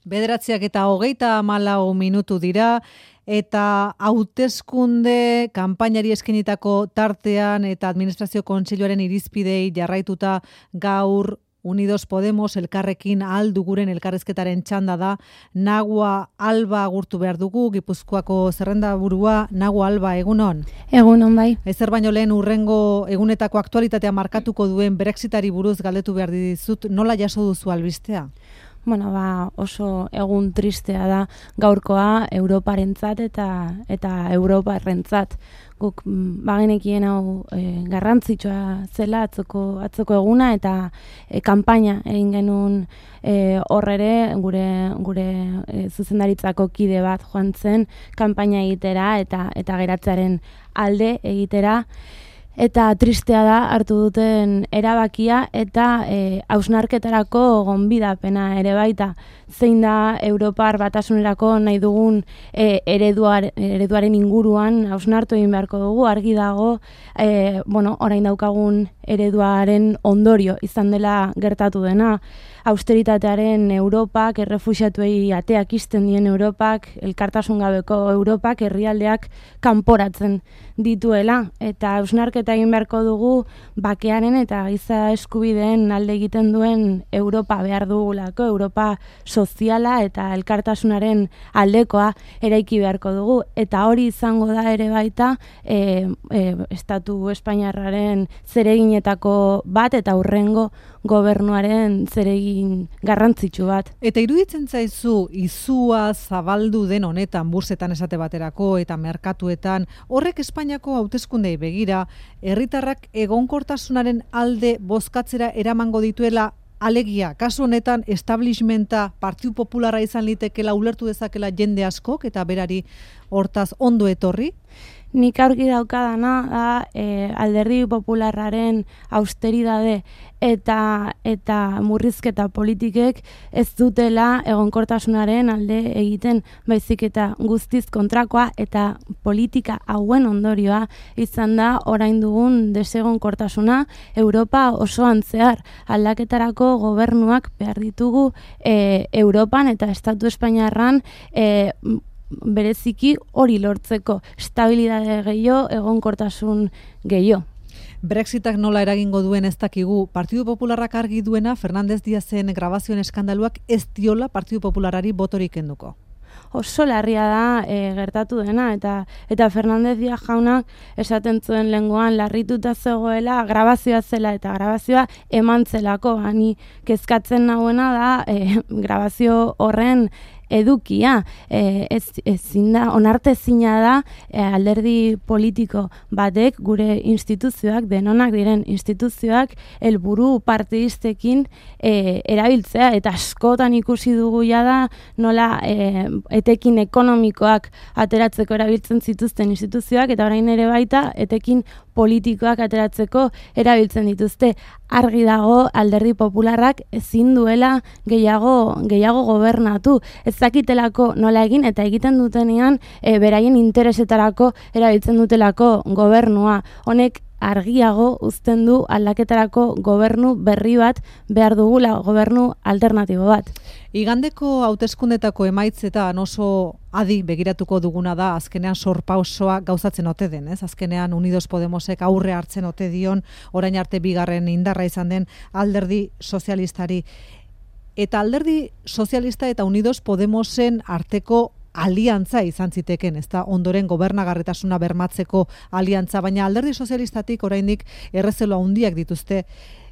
9:34 dira, eta hauteskunde kanpainari eskenitako tartean eta administrazio kontseiluaren irizpidei jarraituta gaur Unidos Podemos elkarrekin alduguren elkarrezketaren txanda da. Nagua Alba agurtu behar dugu, Gipuzkoako zerrendaburua. Nagua Alba, egunon? Egunon, bai. Ezer baino lehen urrengo egunetako aktualitatea markatuko duen Brexitari buruz galdetu behar dizut, nola jaso duzu albistea? Bueno, oso egun tristea da gaurkoa Europarentzat eta Europarrentzat. Guk bagenekien hau garrantzitsua zela atzoko eguna eta kanpaina egin genuen horrere gure zuzendaritzako kide bat joan zen kanpaina egitera eta geratzearen alde egitera. Eta tristea da hartu duten erabakia eta hausnarketarako gonbidapena ere baita. Zein da Europar Batasunerako nahi dugun ereduaren inguruan hausnartu egin beharko dugu, argi dago orain daukagun ereduaren ondorio izan dela gertatu dena. Austeritatearen Europak, errefuxiatuei ateak ixten dien Europak, elkartasun gabeko Europak, herrialdeak kanporatzen dituela. Eta hausnarketa egin beharko dugu bakearen eta giza eskubideen alde egiten duen Europa behar dugulako, Europa soziala eta elkartasunaren aldekoa eraiki beharko dugu. Eta hori izango da ere baita Estatu Espainiarraren zereginetako bat eta hurrengo gobernuaren zeregin garrantzitsu bat. Eta iruditzen zaizu izua zabaldu den honetan, bursetan esate baterako eta merkatuetan, horrek Espainiako hauteskundei begira, herritarrak egonkortasunaren alde bozkatzera eramango dituela, alegia, kasu honetan establishmenta Partidu Popularra izan litekela ulertu dezakela jende askok eta berari hortaz ondo etorri? Nik aurki daukadana da Alderdi Popularraren austeridade eta murrizketa politikek ez dutela egonkortasunaren alde egiten, baizik eta guztiz kontrakoa eta politika hauen ondorioa izan da orain dugun desegonkortasuna Europa osoan zehar. Aldaketarako gobernuak behar ditugu Europan eta Estatu Espainiarran bereziki hori lortzeko, estabilidade gehiago, egonkortasun gehiago. Brexitak nola eragingo duen ez dakigu. Partidu Popularrak argi duena, Fernández Díazen grabazioen eskandaluak ez diola Partidu Popularrari botorik kenduko. Oso larria da gertatu dena eta Fernández Díaz jaunak esaten zuen lengoan larrituta zegoela grabazioa zela eta grabazioa eman zelako. Hani kezkatzen nagoena da grabazio horren edukia, ezin da, onartezina da alderdi politiko batek gure instituzioak, denonak diren instituzioak helburu partidistekin erabiltzea, eta askotan ikusi dugu jada nola etekin ekonomikoak ateratzeko erabiltzen zituzten instituzioak, eta orain ere baita etekin politikoak ateratzeko erabiltzen dituzte. Argi dago Alderdi Popularrak ezin duela gehiago gobernatu. Ez dakitelako nola egin eta egiten dutenean beraien interesetarako erabiltzen dutelako gobernua. Honek argiago uzten du aldaketarako gobernu berri bat behar dugula, gobernu alternatibo bat. Igandeko hauteskundetako emaitzetan oso adi begiratuko duguna da, azkenean sorpausoa gauzatzen ote den, ez? Azkenean Unidos Podemosek aurre hartzen ote dion, orain arte bigarren indarra izan den Alderdi Sozialistari. Eta Alderdi Sozialista eta Unidos Podemosen arteko aliantza izan ziteken, ezta, ondoren gobernagarritasuna bermatzeko aliantza, baina Alderdi Sozialistatik oraindik errezelo handiak dituzte,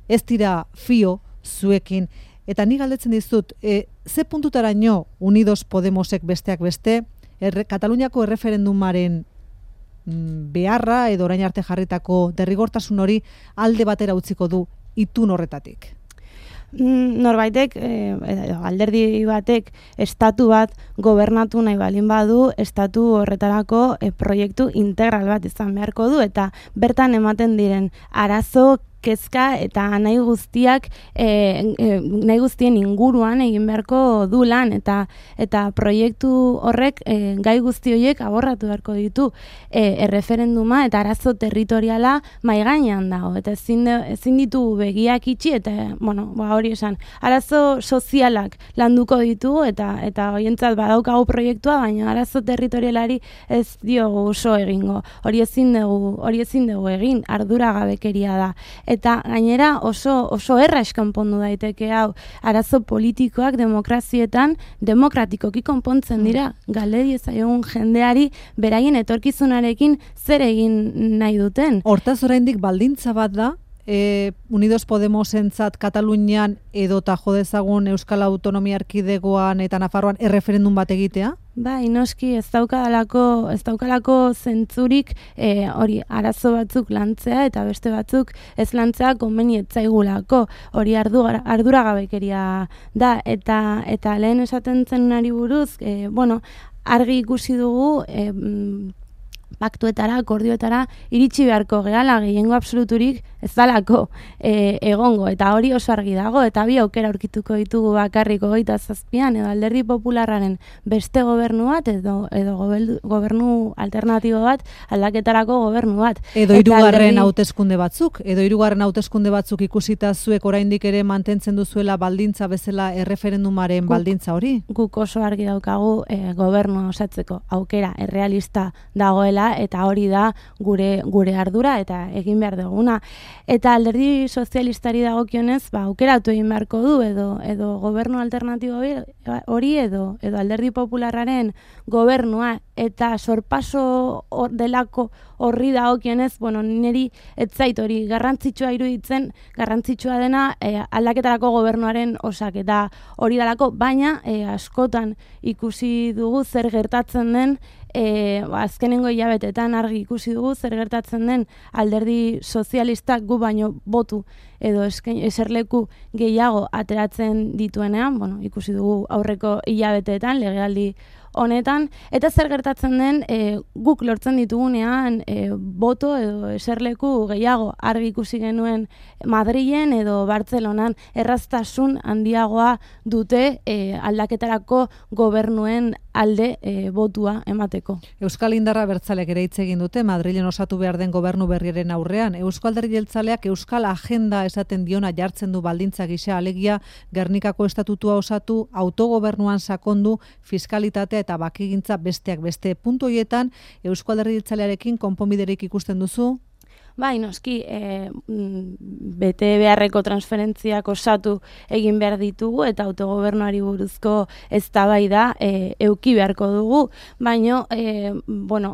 ez dira fio zuekin. Eta ni galdetzen dizut, ze puntutaraino Unidos Podemosek besteak beste, Kataluniako erreferendumaren beharra edo orain arte jarritako derrigortasun hori alde batera utziko du itun horretatik? Norbaitek, alderdi batek, estatu bat gobernatu nahi balin badu, estatu horretarako proiektu integral bat izan beharko du, eta bertan ematen diren arazo, kezka eta nahi guztiak nahi guztien inguruan egin beharko du lan eta proiektu horrek gai guzti horiek aborratu beharko ditu erreferenduma eta arazo territoriala mahai gainean dago eta ezin ditu begiak itxi eta hori esan arazo sozialak landuko ditugu eta horientzat badaukagu proiektua baina arazo territorialari ez diogu oso egingo hori ezin dugu egin arduragabekeria da eta gainera oso erra eskonpondu daiteke hau arazo politikoak demokrazietan demokratikoki konpontzen dira galde diezaiogun jendeari beraien etorkizunarekin zer egin nahi duten. Hortaz oraindik baldintza bat da Unidos Podemosentzat Katalunian edota jo dezagun Euskal Autonomia Erkidegoan eta Nafarroan erreferendum bat egitea? Bai, noski ez daukalako zentzurik hori arazo batzuk lantzea eta beste batzuk ez lantzea konbeni ez zaigulako. Hori arduragabekeria da eta lehen esaten zenari buruz, argi ikusi dugu paktuetara, akordioetara iritsi beharko gehala gehiengo absoluturik ez dalako egongo eta hori oso argi dago eta bi aukera aurkituko ditugu bakarrik 27an edo Alderdi Popularraren beste gobernu bat edo gobernu alternatibo bat aldaketarako gobernu bat. Edo hirugarren hauteskunde batzuk ikusita zuek oraindik ere mantentzen duzuela baldintza bezala erreferendumaren baldintza hori? Guk oso argi daukagu gobernua osatzeko aukera errealista dagoela eta hori da gure ardura eta egin behar duguna. Eta Alderdi Sozialistari dagokionez, aukeratu egin beharko du edo gobernu alternatibo hori edo Alderdi Popularraren gobernua eta sorpaso delako horri dagokionez, niri ez zait hori garrantzitsua iruditzen, garrantzitsua dena aldaketarako gobernuaren osaketa hori dalako, baina askotan ikusi dugu zer gertatzen den azkenengo hilabetetan argi ikusi dugu zer gertatzen den Alderdi Sozialistak gu baino botu edo eserleku gehiago ateratzen dituenean, ikusi dugu aurreko hilabeteetan legealdi honetan, eta zer gertatzen den guk lortzen ditugunean boto edo eserleku gehiago argi ikusi genuen Madrilen edo Bartzelonan erraztasun handiagoa dute aldaketarako gobernuen alde botua emateko. Euskal Indarra Abertzaleak ere hitz egin dute Madrilen osatu behar den gobernu berriaren aurrean. Eusko Alderdi Jeltzaleak Euskal Agenda esaten diona jartzen du baldintza gisa alegia Gernikako estatutua osatu, autogobernuan sakondu, fiskalitatea eta bakegintza besteak beste. Puntu horietan Eusko Alderdi Jeltzalearekin konponbiderik ikusten duzu? Bai, noski, bete beharreko transferentziak osatu egin behar ditugu eta autogobernuari buruzko eztabaida eduki beharko dugu, baina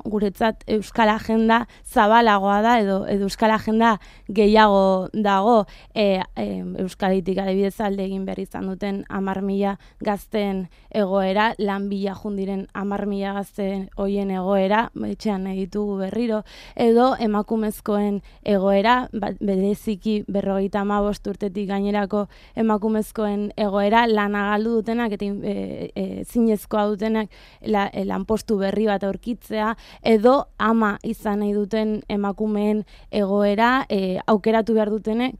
guretzat Euskal Agenda zabalagoa da edo Euskal Agenda gehiago dago Euskaditik adibidez alde egin behar izan duten 10.000 gazteen egoera, lan bila jundiren 10.000 gazteen hoien egoera, etxean nahi ditugu berriro, edo emakumezkoen egoera, bereziki 55 urtetik gainerako emakumezkoen egoera, lana galdu dutenak eta zinezkoa dutenak lanpostu berri bat aurkitzea, edo ama izan nahi duten emakumeen egoera, aukeratu behar dutenek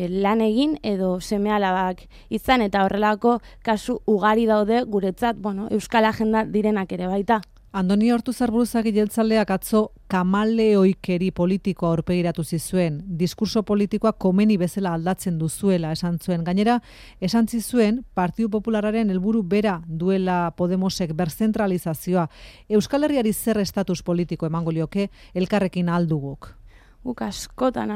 lan egin edo seme-alabak izan eta horrelako kasu ugari daude guretzat, Euskal Agenda direnak ere baita. Andoni Ortuzar Buruzagi Jeltzaleak atzo kamaleoikeri politikoa aurpegiratu zizuen, diskurso politikoa komeni bezala aldatzen duzuela esan zuen. Gainera, esan zizuen Partidu Popularraren helburu bera duela Podemosek berzentralizazioa. Euskal Herriari zer estatus politiko emango lioke elkarrekin alduguk? Guk askotan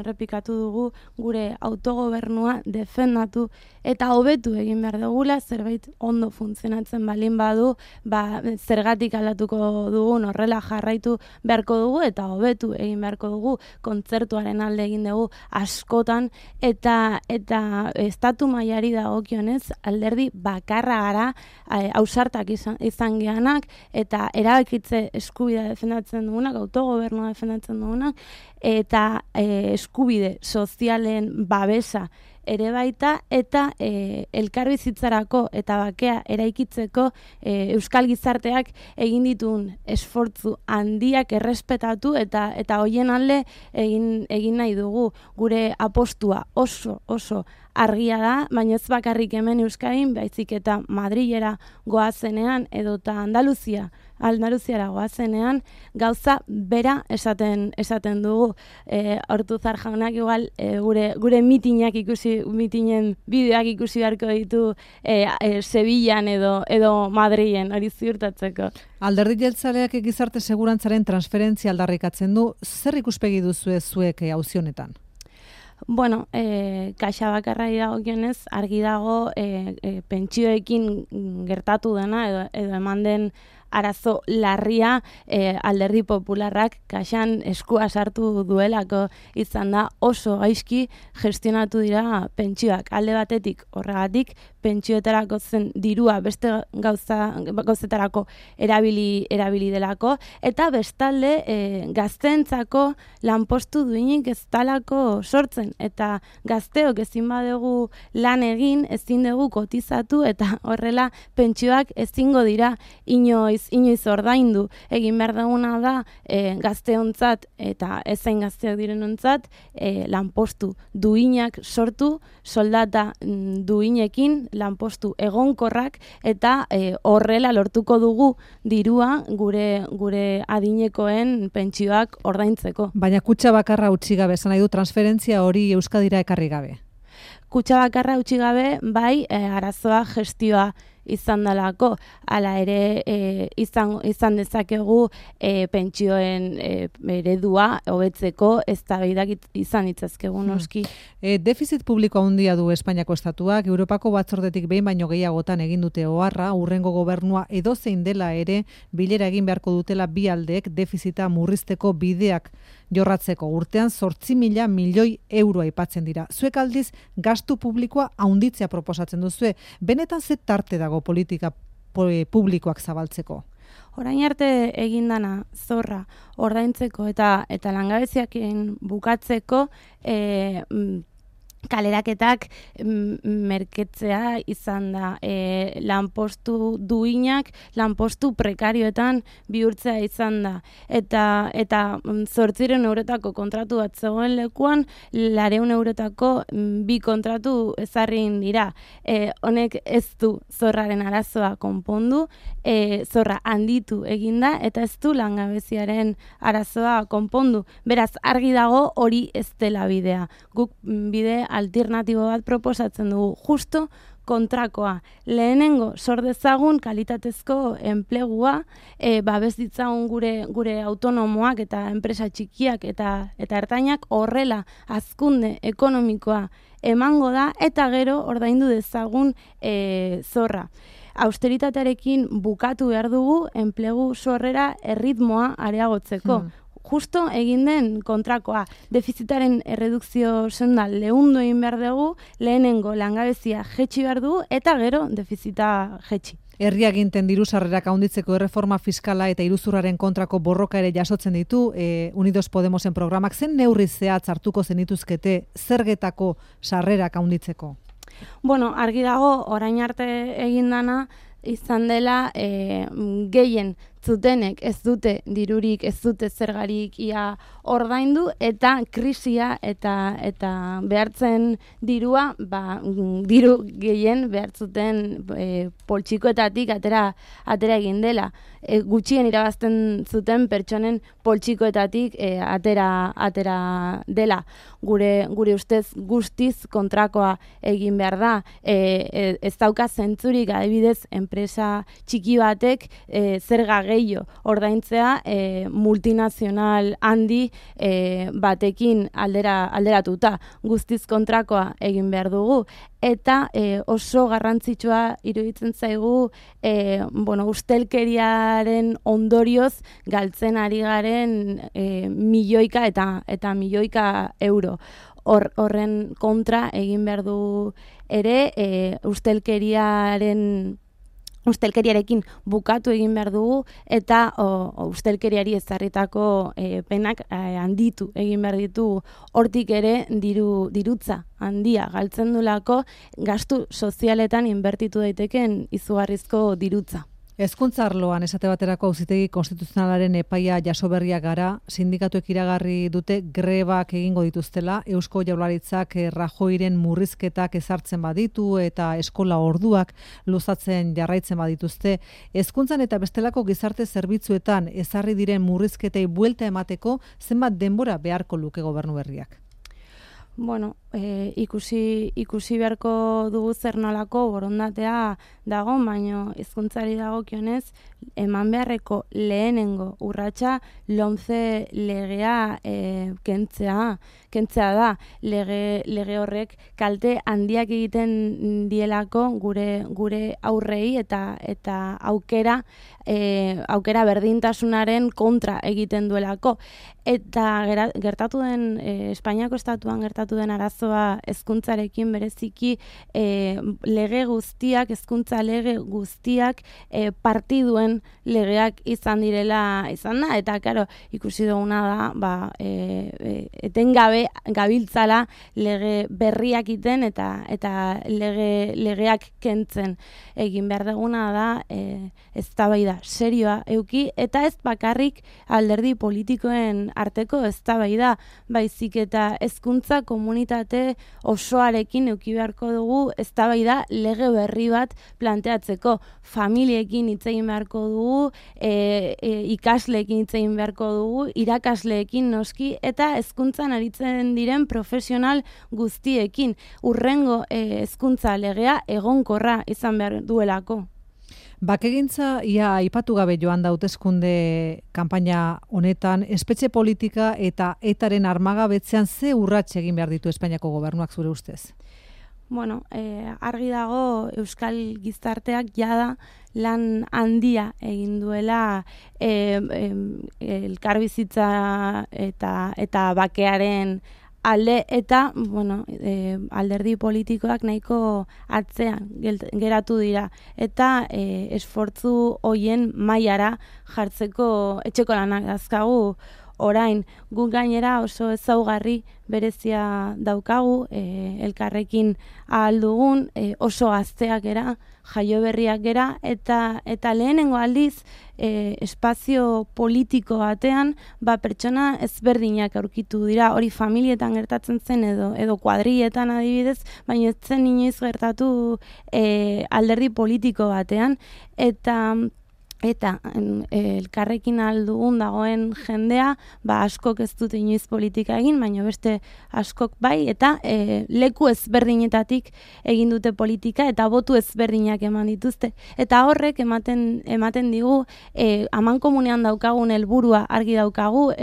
errepikatu dugu gure autogobernua defendatu eta hobetu egin behar dugula, zerbait ondo funtzionatzen balin badu, zergatik aldatuko dugun horrela jarraitu beharko dugu eta hobetu egin beharko dugu, kontzertuaren alde egin dugu askotan eta estatu mailari dagokionez alderdi bakarra gara, ausartak izan geanak eta erabakitze eskubidea defendatzen dugunak, autogobernua defendatzen dugunak, eta eskubide sozialen babesa ere baita, eta elkarbizitzarako eta bakea eraikitzeko euskal gizarteak egin dituen esfortzu handiak errespetatu eta hoien alde egin nahi dugu. Gure apostua oso argia da, baina ez bakarrik hemen Euskadin, baizik eta Madrilera goazenean edota Andaluziara goazenean gauza bera esaten dugu. Ortuzar jaunak igual gure mitinen bideoak ikusi beharko ditu Sevillan edo Madrilen, hori ziurtatzeko. Alderdi jeltzaleak gizarte segurantzaren transferentzia aldarrikatzen du, zer ikuspegi duzue zuek auzi honetan? Bueno, kaxa bakarrai dagokionez, argi dago pentsioekin gertatu dena edo eman den arazo larria Alderdi Popularrak kaxan eskua sartu duelako izan da, oso gaizki gestionatu dira pentsioak. Alde batetik horregatik pentsioetarako zen dirua beste gauzetarako erabili delako, eta bestalde gazteentzako lanpostu duinik ez talako sortzen, eta gazteok ezin badugu lan egin, ezin dugu kotizatu, eta horrela pentsioak ezingo dira inoiz ordaindu. Egin behar duguna da gazteontzat eta ezain gazteak direnontzat lanpostu duinak sortu, soldata duinekin lanpostu egonkorrak, eta horrela lortuko dugu dirua gure adinekoen pentsioak ordaintzeko. Baina kutxa bakarra utzi gabe, esan nahi du transferentzia hori Euskadira ekarri gabe. Kutxa bakarra utzi gabe, bai, arazoa gestioa izan dalako, hala ere izan dezakegu pentsioen eredua hobetzeko eztabaidak izan ditzazkegu noski. Defizit publiko handia du Espainiako estatuak, Europako batzordetik behin baino gehiagotan egin dute oharra, hurrengo gobernua edozein dela ere bilera egin beharko dutela bi aldeek defizita murrizteko bideak jorratzeko. Urtean 8.000 milioi euro aipatzen dira. Zuek aldiz gastu publikoa handitzea proposatzen duzue. Benetan ze tarte dago politika publikoak zabaltzeko? Orain arte egindana zorra ordaintzeko eta langabeziakin bukatzeko kaleraketak merketzea izan da, lanpostu duinak, lanpostu prekarioetan bihurtzea izan da. Eta 800 eurotako kontratu bat zegoen lekuan, 400 eurotako 2 kontratu ezarrin dira. Honek ez du zorraren arazoa konpondu, zorra handitu eginda, eta ez du langabeziaren arazoa konpondu. Beraz, argi dago hori ez dela bidea. Guk bide alternatibo bat proposatzen dugu, justo kontrakoa. Lehenengo sor dezagun kalitatezko enplegua, babes ditzagun gure autonomoak eta enpresa txikiak eta ertainak, horrela hazkunde ekonomikoa emango da, eta gero ordaindu dezagun zorra. Austeritatearekin bukatu behar dugu enplegu sorrera erritmoa areagotzeko. Justo egin den kontrakoa, defizitaren erredukzio senda lehundu egin behar dugu, lehenengo langabezia jetxi behar dugu, eta gero defizita jetxi. Herria ginten diru sarrerak handitzeko erreforma fiskala eta iruzurraren kontrako borroka ere jasotzen ditu Unidos Podemosen programak. Zen neurri zehatz hartuko zenituzkete zergetako sarrerak handitzeko? Bueno, argi dago, orain arte egin dana izan dela gehien zutenek ez dute dirurik, ez dute zergarik ia ordaindu, eta krisia eta behartzen dirua, diru gehien behartzuten poltsikoetatik atera egin dela. Gutxien irabazten zuten pertsonen poltsikoetatik atera dela. Gure ustez guztiz kontrakoa egin behar da. Ez dauka zentzurik, adibidez, enpresa txiki batek zerga gehiago ordaintzea multinazional handi batekin alderatuta. Guztiz kontrakoa egin behar dugu. Eta oso garrantzitsua iruditzen zaigu ustelkeriaren ondorioz galtzen ari garen milioika eta milioika euro. Horren kontra egin behar du ere ustelkeriaren ustelkeriarekin bukatu egin behar dugu eta ustelkeriari ezarritako penak handitu egin behar ditugu. Hortik ere dirutza handia galtzen dulako gastu sozialetan inbertitu daiteken izugarrizko dirutza. Hezkuntza arloan esate baterako Auzitegi Konstituzionalaren epaia jaso berriak gara, sindikatuek iragarri dute grebak egingo dituztela, Eusko Jaurlaritzak Rajoiren murrizketak ezartzen baditu eta eskola orduak luzatzen jarraitzen badituzte. Hezkuntzan eta bestelako gizarte zerbitzuetan ezarri diren murrizketei buelta emateko zenbat denbora beharko luke gobernu berriak? Bueno, ikusi beharko dugu zer nolako borondatea dago, baina hezkuntzari dagokionez eman beharreko lehenengo urratsa LOMCE legea kentzea da. Lege horrek kalte handiak egiten dielako gure aurrei eta aukera berdintasunaren kontra egiten duelako. Eta gertatu den Espainiako estatuan gertatu den arazoa hezkuntzarekin bereziki hezkuntza lege guztiak partiduen legeak izan da, eta claro, ikusi duguna da, etengabe gabiltzala lege berriak iten eta legeak kentzen. Egin behar duguna da eztabaida serioa eduki eta ez bakarrik alderdi politikoen arteko eztabaida, baizik eta hezkuntza komunitate osoarekin eduki beharko dugu eztabaida lege berri bat planteatzeko. Familiekin hitz egin beharko dugu, ikasleekin hitz egin beharko dugu, irakasleekin noski eta hezkuntzan aritzen diren profesional guztiekin. Hurrengo hezkuntza legea egonkorra izan behar duelako. Bakegintza ia aipatu gabe joan da hauteskunde kanpaina honetan, espetxe politika eta etaren armagabetzean ze urrats egin behar ditu Espainiako gobernuak zure ustez? Bueno, argi dago Euskal gizarteak jada lan handia egin duela elkarbizitza eta bakearen alde eta alderdi politikoak nahiko atzean geratu dira eta esfortzu hoien mailara jartzeko etxeko lanak dazkagu. Orain, guk gainera oso ezaugarri berezia daukagu, elkarrekin ahal dugun, oso gazteak gera, jaioberriak gera, eta lehenengo aldiz espazio politiko batean pertsona ezberdinak aurkitu dira, hori familietan gertatzen zen edo kuadrilletan adibidez, baina ez zen inoiz gertatu alderdi politiko batean, eta elkarrekin aldugun dagoen jendea, askok ez dute inoiz politika egin, baina beste askok bai, eta leku ezberdinetatik egin dute politika, eta botu ezberdinak eman dituzte. Eta horrek ematen digu, amankomunean daukagun helburua argi daukagu,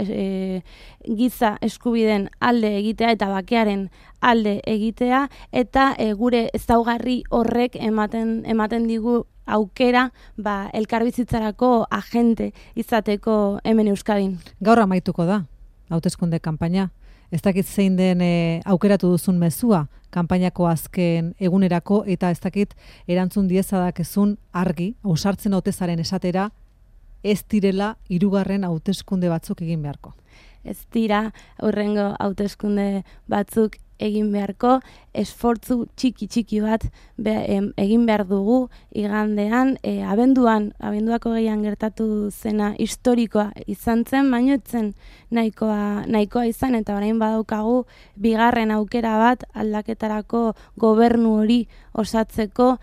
giza eskubideen alde egitea eta bakearen alde egitea, eta gure ezaugarri horrek ematen digu aukera elkarbizitzarako agente izateko hemen Euskadin. Gaur amaituko da, hauteskunde kanpaina. Ez dakit zein den aukeratu duzun mezua, kanpainako azken egunerako, eta ez dakit erantzun diezadakezun argi, ausartzen hautezaren esatera, ez direla 3. hauteskunde batzuk egin beharko. Ez dira hurrengo hauteskunde batzuk egin beharko, esfortzu txiki bat egin behar dugu igandean, abenduako 2 gertatu zena historikoa izan zen, baino etzen nahikoa izan, eta orain badaukagu 2. aukera bat aldaketarako gobernu hori osatzeko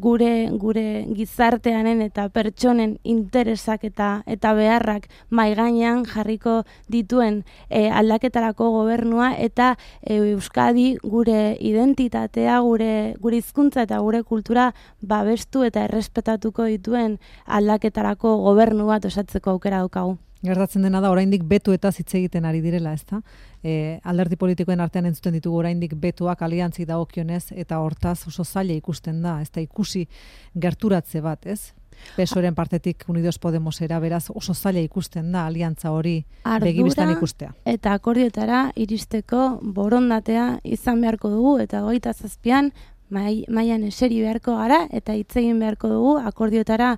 gure gizartearen eta pertsonen interesak eta beharrak mahai gainean jarriko dituen aldaketarako gobernua eta Euskadi gure identitatea, gure hizkuntza eta gure kultura babestu eta errespetatuko dituen aldaketarako gobernu bat osatzeko aukera daukagu. Gertatzen dena da, oraindik betu eta hitz egiten ari direla, ezta? Alderdi politikoen artean entzuten ditugu oraindik betuak aliantzi dagokionez eta hortaz oso zaila ikusten da, ezta ikusi gerturatze bat, ez? PSOEren partetik Unidos Podemosera, beraz oso zaila ikusten da aliantza hori begibistan ikustea. Eta akordioetara iristeko borondatea izan beharko dugu, eta 27an mailan eseri beharko gara eta hitz egin beharko dugu akordioetara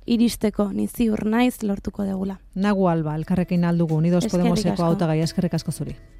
iristeko, ni ziur naiz lortuko degula. Nagu Alba, elkarrekin aldugu, Unidos Eskerrik Podemoseko asko. hautagaia, eskerrik asko zuri.